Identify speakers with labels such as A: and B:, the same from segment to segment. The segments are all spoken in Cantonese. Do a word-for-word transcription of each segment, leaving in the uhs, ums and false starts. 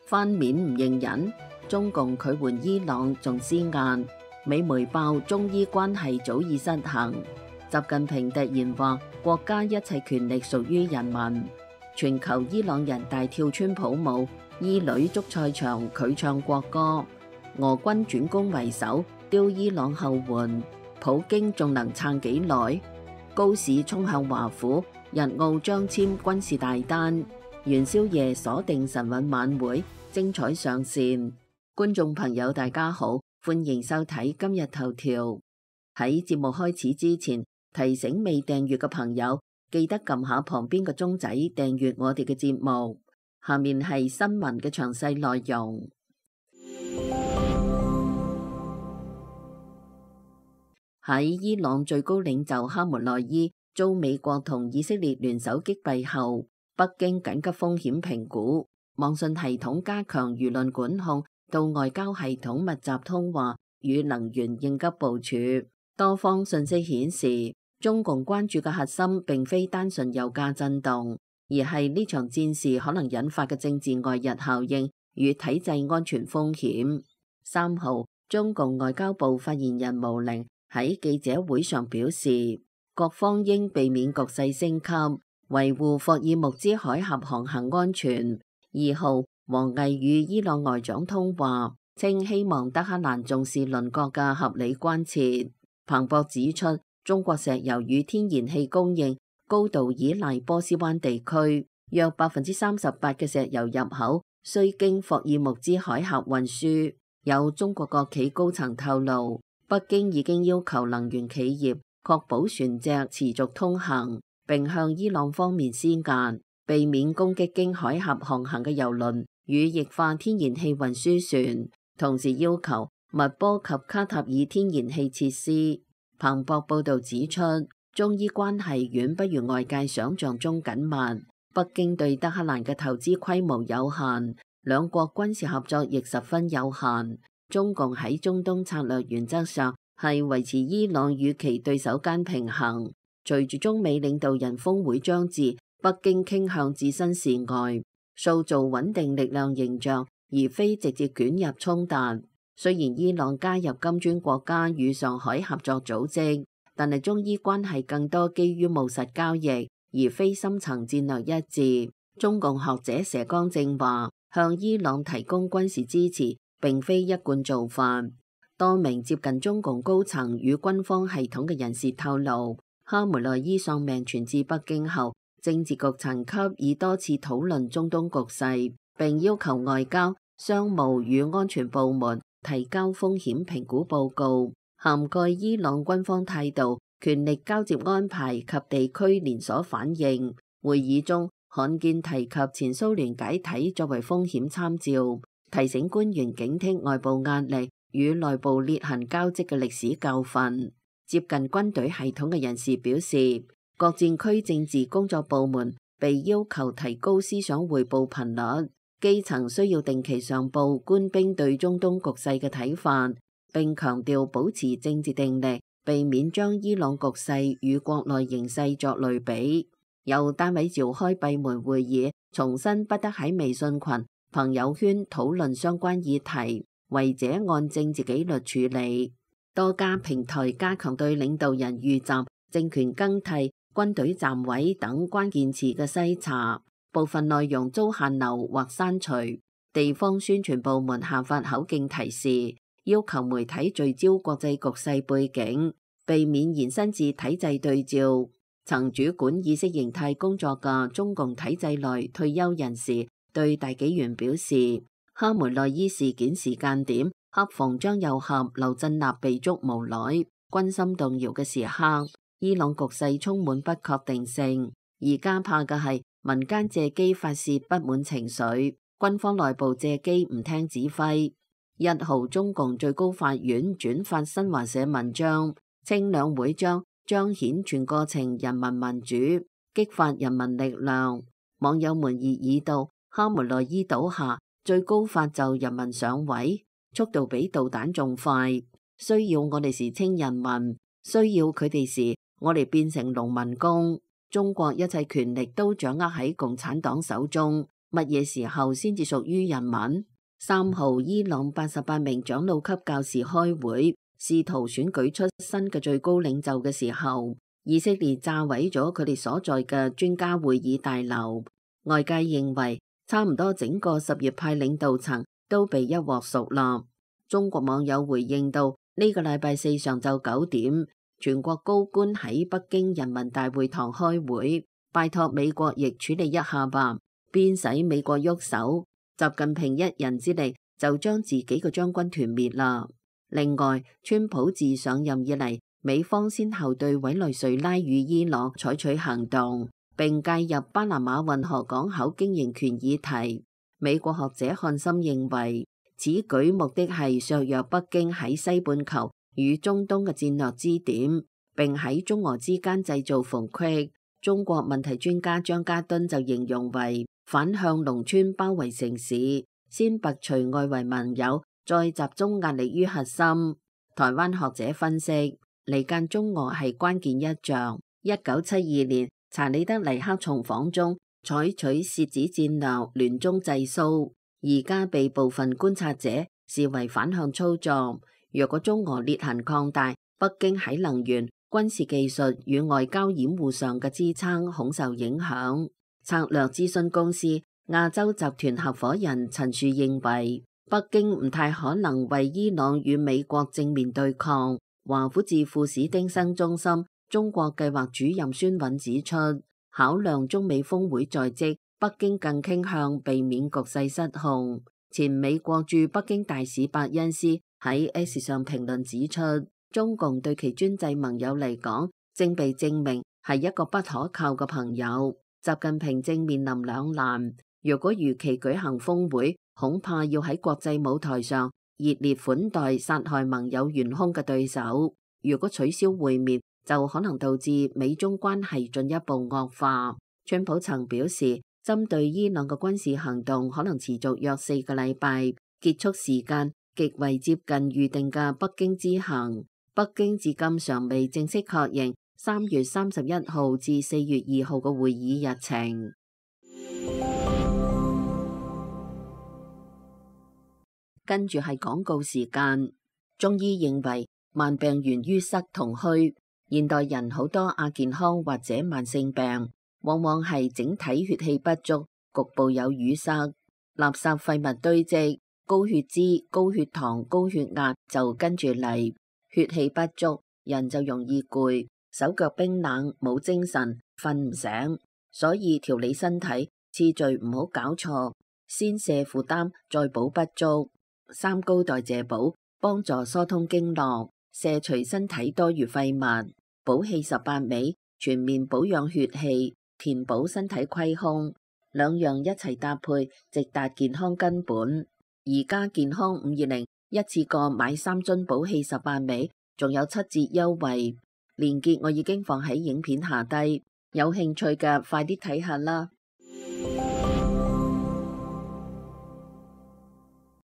A: 翻面唔認人，中共拒援伊朗仲施壓，美媒爆中伊關係早已失衡。習近平突然話國家一切權力屬於人民。全球伊朗人大跳川普舞，伊女足賽場拒唱國歌。俄軍轉攻為守，丟伊朗後援，普京仲能撐幾耐？高市衝向華府，日澳將簽軍事大單。元宵夜鎖定晨運晚會，精彩上線。觀眾朋友大家好，歡迎收睇今日頭條。喺節目開始之前，提醒未訂閱嘅朋友記得撳下旁邊個鐘仔訂閱我哋嘅節目。下面係新聞嘅詳細內容。喺伊朗最高領袖哈梅內伊遭美國同以色列聯手擊斃後，北京緊急風險評估，網信系統加強輿論管控，到外交系統密集通話與能源應急部署。多方信息顯示，中共關注嘅核心並非單純油價震動，而係呢場戰事可能引發嘅政治外溢效應與體制安全風險。三號，中共外交部發言人毛寧喺記者會上表示，各方應避免局勢升級，維護霍爾木茲海峽航行安全。二號，王毅與伊朗外長通話，稱希望德黑蘭重視鄰國嘅合理關切。彭博指出，中國石油與天然氣供應高度依賴波斯灣地區，約百分之三十八嘅石油入口需經霍爾木茲海峽運輸。有中國國企高層透露，北京已經要求能源企業確保船隻持續通行，並向伊朗方面施壓，避免攻擊經海峽航行嘅油輪與液化天然氣運輸船，同時要求勿波及卡塔爾天然氣設施。彭博報道指出，中伊關係遠不如外界想象中緊密，北京對德黑蘭嘅投資規模有限，兩國軍事合作亦十分有限。中共喺中東策略原則上係維持伊朗與其對手間平衡。隨住中美領導人峰會將至，北京傾向置身事外，塑造穩定力量形象，而非直接捲入衝突。雖然伊朗加入金磚國家與上海合作組織，但係中伊關係更多基於務實交易，而非深層戰略一致。中共學者佘江正話，向伊朗提供軍事支持並非一貫做法。多名接近中共高層與軍方系統嘅人士透露，哈梅內伊喪命傳至北京後，政治局層級已多次討論中東局勢，並要求外交、商務與安全部門提交風險評估報告，涵蓋伊朗軍方態度、權力交接安排及地區連鎖反應。會議中罕見提及前蘇聯解體作為風險參照，提醒官員警惕外部壓力與內部裂痕交織嘅歷史教訓。接近軍隊系統嘅人士表示，各戰區政治工作部門被要求提高思想彙報頻率。基層需要定期上報官兵對中東局勢嘅睇法，並強調保持政治定力，避免將伊朗局勢與國內形勢作類比。有單位召開閉門會議，重申不得喺微信群、朋友圈討論相關議題，違者按政治紀律處理。多家平台加強對領導人遇襲、政權更替、軍隊站位等關鍵詞嘅篩查。部分內容遭限流或刪除，地方宣傳部門下發口徑提示，要求媒體聚焦國際局勢背景，避免延伸至體制對照。曾主管意識形態工作嘅中共體制內退休人士對大紀元表示，哈梅內伊事件時間點恰逢張又俠、劉振立被捉無奈、軍心動搖嘅時刻，伊朗局勢充滿不確定性，而家怕嘅係民間借機發洩不滿情緒，軍方內部借機唔聽指揮。一號，中共最高法院轉發新華社文章，稱兩會將彰顯全過程人民民主，激發人民力量。網友們熱議道，哈梅內伊倒下，最高法就人民上位，速度比導彈仲快。需要我哋時稱人民，需要佢哋時，我哋變成農民工。中國一切權力都掌握喺共產黨手中，乜嘢時候先至屬於人民？三號，伊朗八十八名長老級教士開會，試圖選舉出新嘅最高領袖嘅時候，以色列炸毀咗佢哋所在嘅專家會議大樓。外界認為，差唔多整個什葉派領導層都被一鑊熟啦。中國網友回應到：呢個禮拜四上晝九點，全國高官喺北京人民大會堂開會，拜託美國亦處理一下吧。邊使美國喐手？習近平一人之力就將自己嘅將軍團滅啦。另外，川普自上任以嚟，美方先後對委內瑞拉與伊朗採取行動，並介入巴拿馬運河港口經營權議題。美國學者漢森認為，此舉目的係削弱北京喺西半球與中東嘅戰略支點，並喺中俄之間製造縫隙。中國問題專家張家敦就形容為反向農村包圍城市，先拔除外圍盟友，再集中壓力於核心。台灣學者分析，離間中俄係關鍵一仗。一九七二年查理德尼克從訪中採取楔子戰略，聯中制蘇，而家被部分觀察者視為反向操作。若果中俄裂痕擴大，北京喺能源、軍事技術與外交掩護上嘅支撐恐受影響。策略諮詢公司亞洲集團合夥人陳樹認為，北京唔太可能為伊朗與美國正面對抗。華府智庫史丁生中心中國計劃主任孫韻指出，考量中美峰會在即，北京更傾向避免局勢失控。前美國駐北京大使伯恩斯喺 X 上評論指出，中共對其專制盟友嚟講，正被證明係一個不可靠嘅朋友。習近平正面臨兩難，若果如期舉行峰會，恐怕要喺國際舞台上熱烈款待殺害盟友元兇嘅對手；如果取消會面，就可能導致美中關係進一步惡化。川普曾表示，針對伊朗嘅軍事行動可能持續約四個禮拜，結束時間極為接近預定嘅北京之行。北京至今尚未正式確認三月三十一號至四月二號嘅會議日程。跟住係廣告時間。中醫認為慢病源於塞同虛，現代人好多亞健康或者慢性病，往往係整體血氣不足，局部有淤塞，垃圾廢物堆積，高血脂、高血糖、高血壓就跟住嚟。血氣不足，人就容易攰，手腳冰冷，冇精神，瞓唔醒。所以調理身體次序唔好搞錯，先瀉負擔，再補不足。三高代謝補幫助疏通經絡，瀉除身體多餘廢物。補氣十八味全面保養血氣，填補身體虧空，兩樣一齊搭配，直達健康根本。而家健康五二零一次過買三樽補氣十八味，仲有七折優惠，鏈接我已經放喺影片下低，有興趣嘅快啲睇下啦。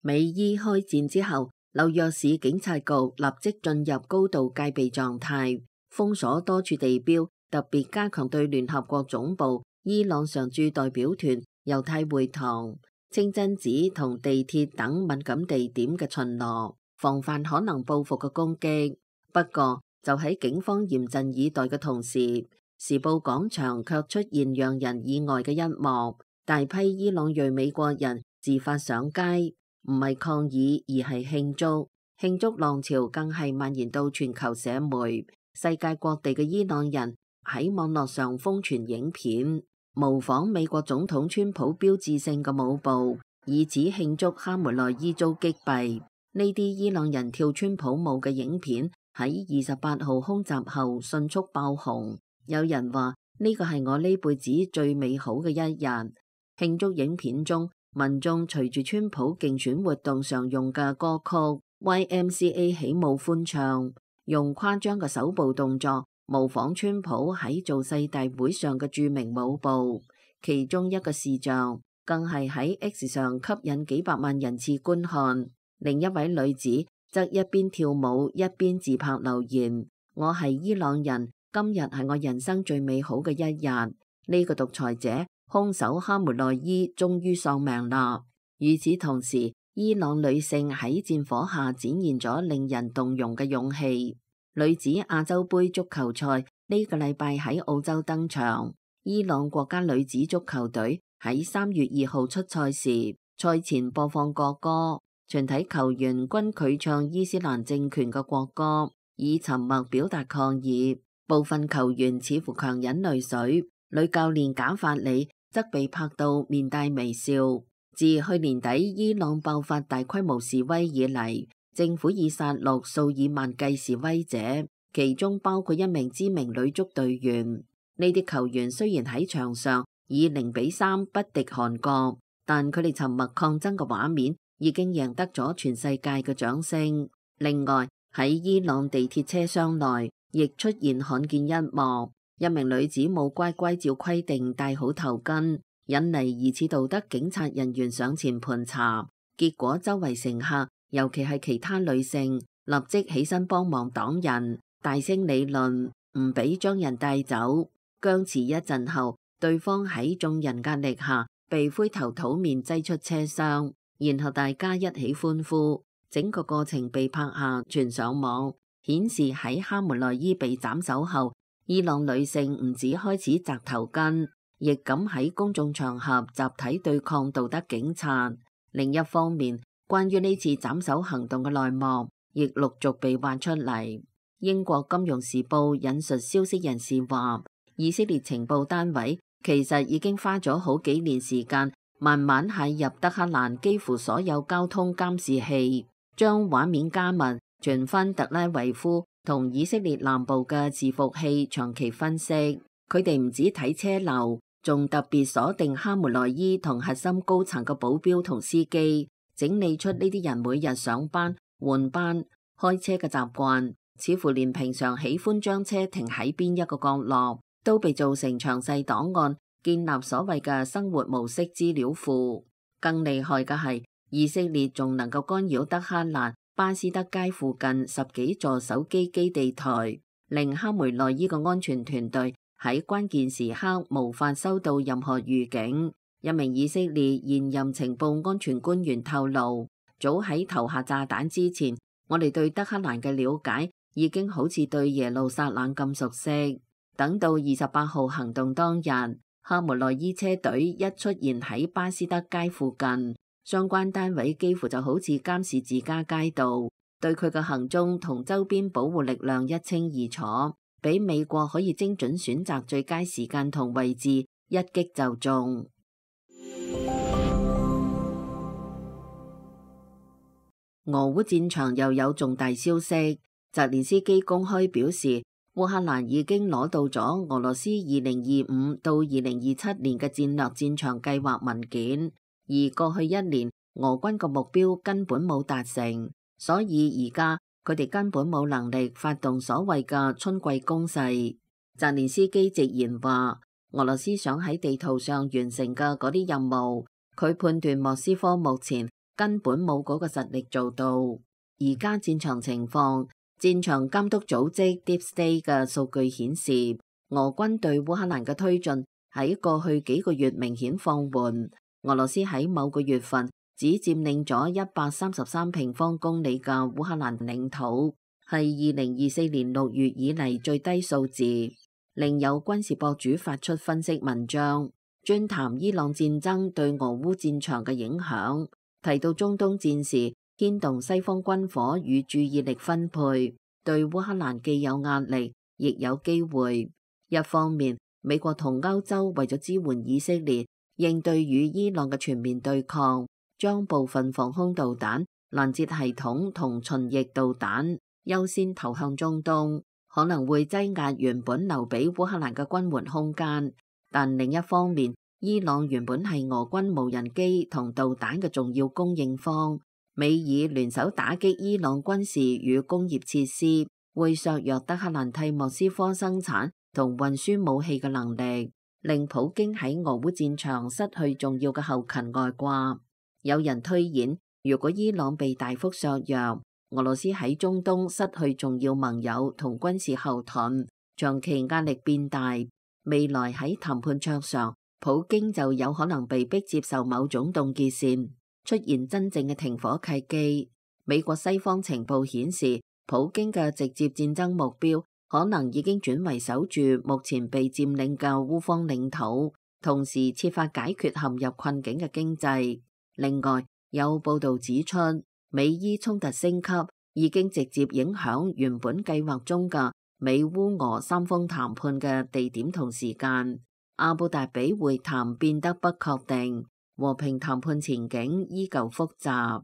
A: 美伊開戰之後，紐約市警察局立即進入高度戒備狀態，封鎖多處地標，特別加強對聯合國總部、伊朗常駐代表團、猶太會堂、清真寺同地鐵等敏感地點嘅巡邏，防範可能報復嘅攻擊。不過，就喺警方嚴陣以待嘅同時，時報廣場卻出現讓人意外嘅一幕，大批伊朗裔美國人自發上街。唔係抗議，而係慶祝。慶祝浪潮更係蔓延到全球社媒，世界各地嘅伊朗人喺網絡上瘋傳影片，模仿美國總統川普標誌性嘅舞步，以此慶祝哈梅內伊遭擊斃。呢啲伊朗人跳川普舞嘅影片喺二十八號空襲後迅速爆紅，有人話呢個係我呢輩子最美好嘅一日。慶祝影片中，民眾隨住川普競選活動常用嘅歌曲 Y M C A 起舞歡唱，用誇張嘅手部動作模仿川普喺造勢大會上嘅著名舞步。其中一個視像更係喺 X 上吸引幾百萬人次觀看。另一位女子則一邊跳舞一邊自拍留言：我係伊朗人，今日係我人生最美好嘅一日。呢個獨裁者兇手哈梅內伊終於喪命啦。與此同時，伊朗女性喺戰火下展現咗令人動容嘅勇氣。女子亞洲盃足球賽呢個禮拜喺澳洲登場，伊朗國家女子足球隊喺三月二號出賽時，賽前播放國歌，全體球員均拒唱伊斯蘭政權嘅國歌，以沉默表達抗議。部分球員似乎強忍淚水，女教練賈法里則被拍到面帶微笑。自去年底伊朗爆發大規模示威以嚟，政府已殺戮數以萬計示威者，其中包括一名知名女足隊員。呢啲球員雖然喺場上以零比三不敵韓國，但佢哋沉默抗爭嘅畫面已經贏得咗全世界嘅掌聲。另外喺伊朗地鐵車廂內亦出現罕見一幕，一名女子冇乖乖照規定戴好頭巾，引嚟疑似道德警察人員上前盤查，結果周圍乘客，尤其係其他女性，立即起身幫忙擋人，大聲理論，唔俾將人帶走。僵持一陣後，對方喺眾人壓力下被灰頭土面擠出車廂，然後大家一起歡呼，整個過程被拍下傳上網，顯示喺哈梅內伊被斬首後，伊朗女性唔止開始紮頭巾，亦敢喺公眾場合集體對抗道德警察。另一方面，關於呢次斬首行動嘅內幕亦陸續被挖出嚟。英國金融時報引述消息人士話，以色列情報單位其實已經花咗好幾年時間，慢慢係入德黑蘭幾乎所有交通監視器，將畫面加密，傳翻特拉維夫同以色列南部嘅伺服器長期分析。佢哋唔止睇車流，仲特別鎖定哈梅內伊同核心高層嘅保鏢同司機，整理出呢啲人每日上班、換班、開車嘅習慣，似乎連平常喜歡將車停喺邊一個角落都被做成詳細檔案，建立所謂嘅生活模式資料庫。更厲害嘅係，以色列仲能夠干擾德黑蘭巴斯德街附近十幾座手機基地台，令哈梅內伊嘅安全團隊喺關鍵時刻無法收到任何預警。一名以色列現任情報安全官員透露，早喺投下炸彈之前，我哋對德黑蘭嘅了解已經好似對耶路撒冷咁熟悉。等到二十八號行動當日，哈梅內伊車隊一出現喺巴斯德街附近，相關單位幾乎就好似監視自家街道，對佢嘅行蹤同周邊保護力量一清二楚，俾美國可以精準選擇最佳時間同位置，一擊就中。俄烏戰場又有重大消息，澤連斯基公開表示，烏克蘭已經攞到咗俄羅斯二零二五到二零二七年嘅戰略戰場計劃文件，而過去一年俄軍嘅目標根本冇達成，所以而家佢哋根本冇能力發動所謂嘅春季攻勢。澤連斯基直言話，俄羅斯想喺地圖上完成嘅嗰啲任務，佢判斷莫斯科目前根本冇嗰個實力做到。而家戰場情況，戰場監督組織 Deep State 嘅數據顯示，俄軍對烏克蘭嘅推進喺過去幾個月明顯放緩。俄羅斯喺某個月份只佔領咗一百三十三平方公里嘅烏克蘭領土，係二零二四年六月以嚟最低數字。另有軍事博主發出分析文章，專談伊朗戰爭對俄烏戰場嘅影響，提到中東戰事牽動西方軍火與注意力分配，對烏克蘭既有壓力，亦有機會。一方面，美國同歐洲為咗支援以色列應對與伊朗嘅全面對抗，將部分防空導彈、攔截系統同巡弋導彈優先投向中東，可能會擠壓原本留俾烏克蘭嘅軍援空間。但另一方面，伊朗原本係俄軍無人機同導彈嘅重要供應方，美以聯手打擊伊朗軍事與工業設施，會削弱德黑蘭替莫斯科生產同運輸武器嘅能力，令普京喺俄烏戰場失去重要嘅後勤外掛。有人推演，如果伊朗被大幅削弱，俄羅斯喺中東失去重要盟友同軍事後盾，長期壓力變大，未來喺談判桌上普京就有可能被迫接受某種凍結線，出現真正嘅停火契機。美國西方情報顯示，普京嘅直接戰爭目標可能已經轉為守住目前被佔領嘅烏方領土，同時設法解決陷入困境嘅經濟。另外，有報道指出，美伊衝突升級已經直接影響原本計劃中嘅美烏俄三方談判嘅地點同時間。阿布達比會談變得不確定，和平談判前景依舊複雜。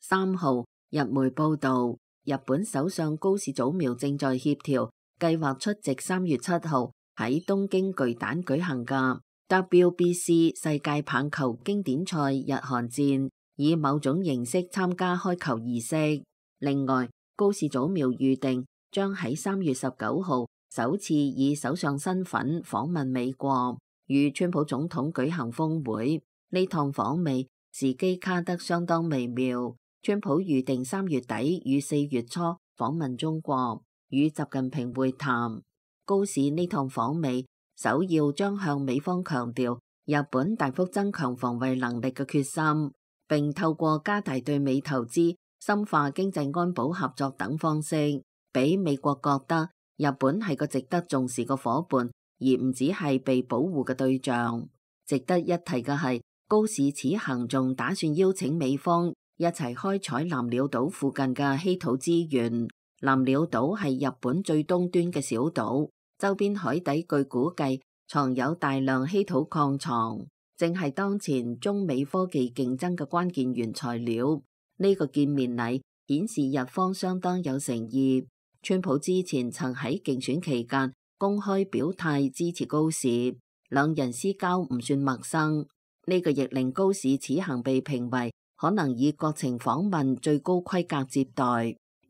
A: 三號，日媒報道，日本首相高市早苗正在協調，計劃出席三月七號喺東京巨蛋舉行嘅 W B C 世界棒球經典賽日韓戰，以某種形式參加開球儀式。另外，高市早苗預定將喺三月十九號首次以首相身份訪問美國，與川普總統舉行峰會。呢趟訪美時機卡得相當微妙。川普預定三月底與四月初訪問中國，與習近平會談。高市呢趟訪美首要將向美方強調日本大幅增強防衛能力嘅決心，並透過加大對美投資、深化經濟安保合作等方式，俾美國覺得日本係個值得重視嘅夥伴，而唔只係被保護嘅對象。值得一提嘅係，高市此行仲打算邀請美方一齊開採南鳥島附近嘅稀土資源。南鳥島係日本最東端嘅小島，周邊海底據估計藏有大量稀土礦藏，正係當前中美科技競爭嘅關鍵原材料。呢個見面禮顯示日方相當有誠意。川普之前曾喺競選期間公開表態支持高市，兩人私交唔算陌生。呢個亦令高市此行被評為可能以國情訪問最高規格接待，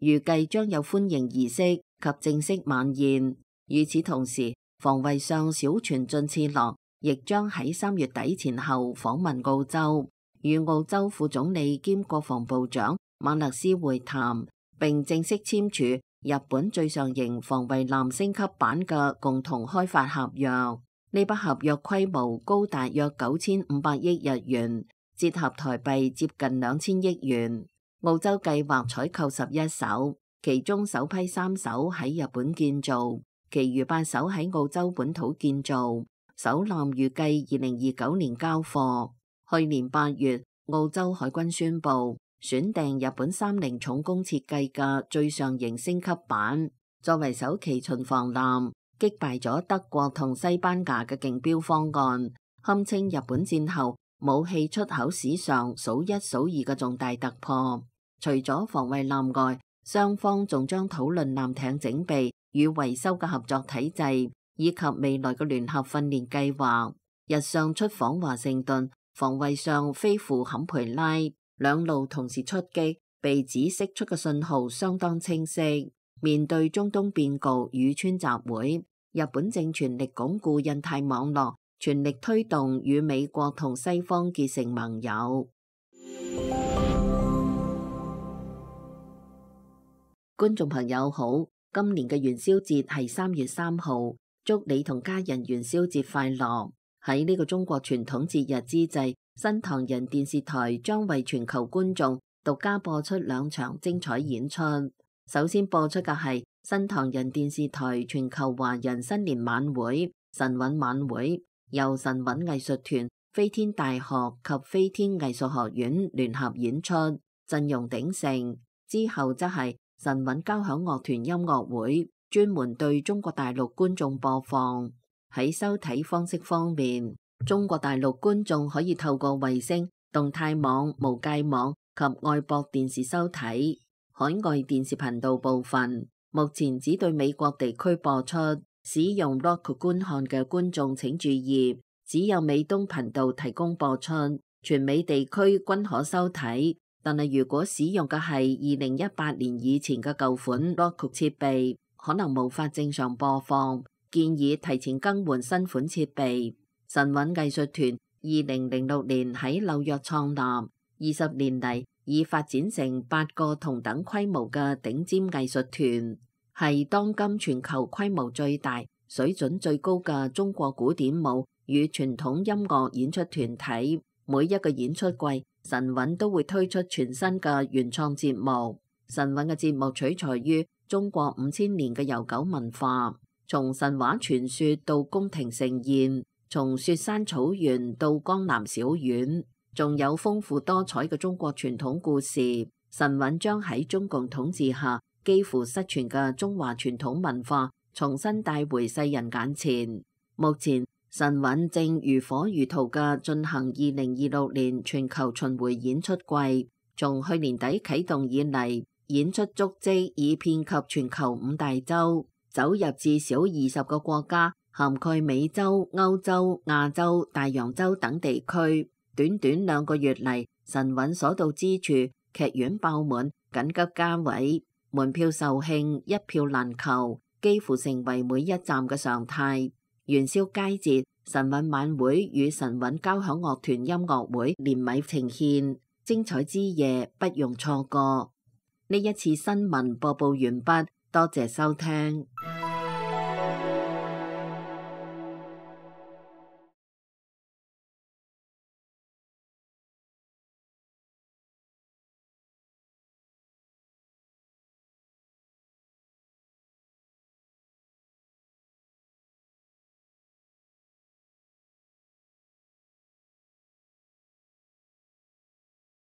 A: 預計將有歡迎儀式及正式晚宴。與此同時，防衛相小泉進次郎亦將喺三月底前後訪問澳洲，與澳洲副總理兼國防部長馬勒斯會談，並正式簽署日本最上型防衛艦升級版嘅共同開發合約。呢筆合約規模高達約九千五百億日元，折合台幣接近兩千億元。澳洲計劃採購十一艘，其中首批三艘喺日本建造，其餘八艘喺澳洲本土建造。首艦預計二零二九年交貨。去年八月，澳洲海軍宣布選訂日本三菱重工設計嘅最上型升級版，作為首期巡防艦，擊敗咗德國同西班牙嘅競標方案，堪稱日本戰後武器出口史上數一數二嘅重大突破。除咗防衛艦外，雙方仲將討論艦艇整備與維修嘅合作體制，以及未來嘅聯合訓練計劃。日上出訪華盛頓，防衛相飛赴坎培拉，兩路同時出擊，被指釋出嘅信號相當清晰。面對中東變局與川習會，日本正全力鞏固印太網絡，全力推動與美國同西方結成盟友。觀眾朋友好，今年嘅元宵節係三月三號，祝你同家人元宵節快樂。喺呢個中國傳統節日之際，新唐人電視台將為全球觀眾獨家播出兩場精彩演出。首先播出嘅係新唐人電視台全球華人新年晚會神韻晚會，由神韻藝術團、飛天大學及飛天藝術學院聯合演出，陣容鼎盛。之後則係神韻交響樂團音樂會，專門對中國大陸觀眾播放。喺收睇方式方面，中國大陸觀眾可以透過衛星、動態網、無界網及外博電視收睇。海外電視頻道部分目前只對美國地區播出，使用 Roku 觀看嘅觀眾請注意，只有美東頻道提供播出，全美地區均可收睇。但係如果使用嘅係二零一八年以前嘅舊款 Roku 設備，可能無法正常播放，建議提前更換新款設備。神韻藝術團二零零六年喺紐約創立，二十年嚟已發展成八個同等規模嘅頂尖藝術團。係當今全球規模最大、水準最高嘅中國古典舞與傳統音樂演出團體。每一個演出季，神韻都會推出全新嘅原創節目。神韻嘅節目取材於中國五千年嘅悠久文化，從神話傳說到宮廷盛宴，從雪山草原到江南小院，仲有豐富多彩嘅中國傳統故事。神韻將喺中共統治下幾乎失傳嘅中華傳統文化重新帶回世人眼前。目前神韻正如火如荼嘅進行二零二六年全球巡迴演出季，從去年底啟動以嚟，演出足跡已遍及全球五大洲，走入至少二十個國家，涵蓋美洲、歐洲、亞洲、大洋洲等地區。短短兩個月嚟，神韻所到之處，劇院爆滿，緊急加位，門票售罄，一票難求，幾乎成為每一站嘅常態。元宵佳節，神韻晚會與神韻交響樂團音樂會聯袂呈獻，精彩之夜不容錯過。呢一次新聞播報完畢，多謝收聽。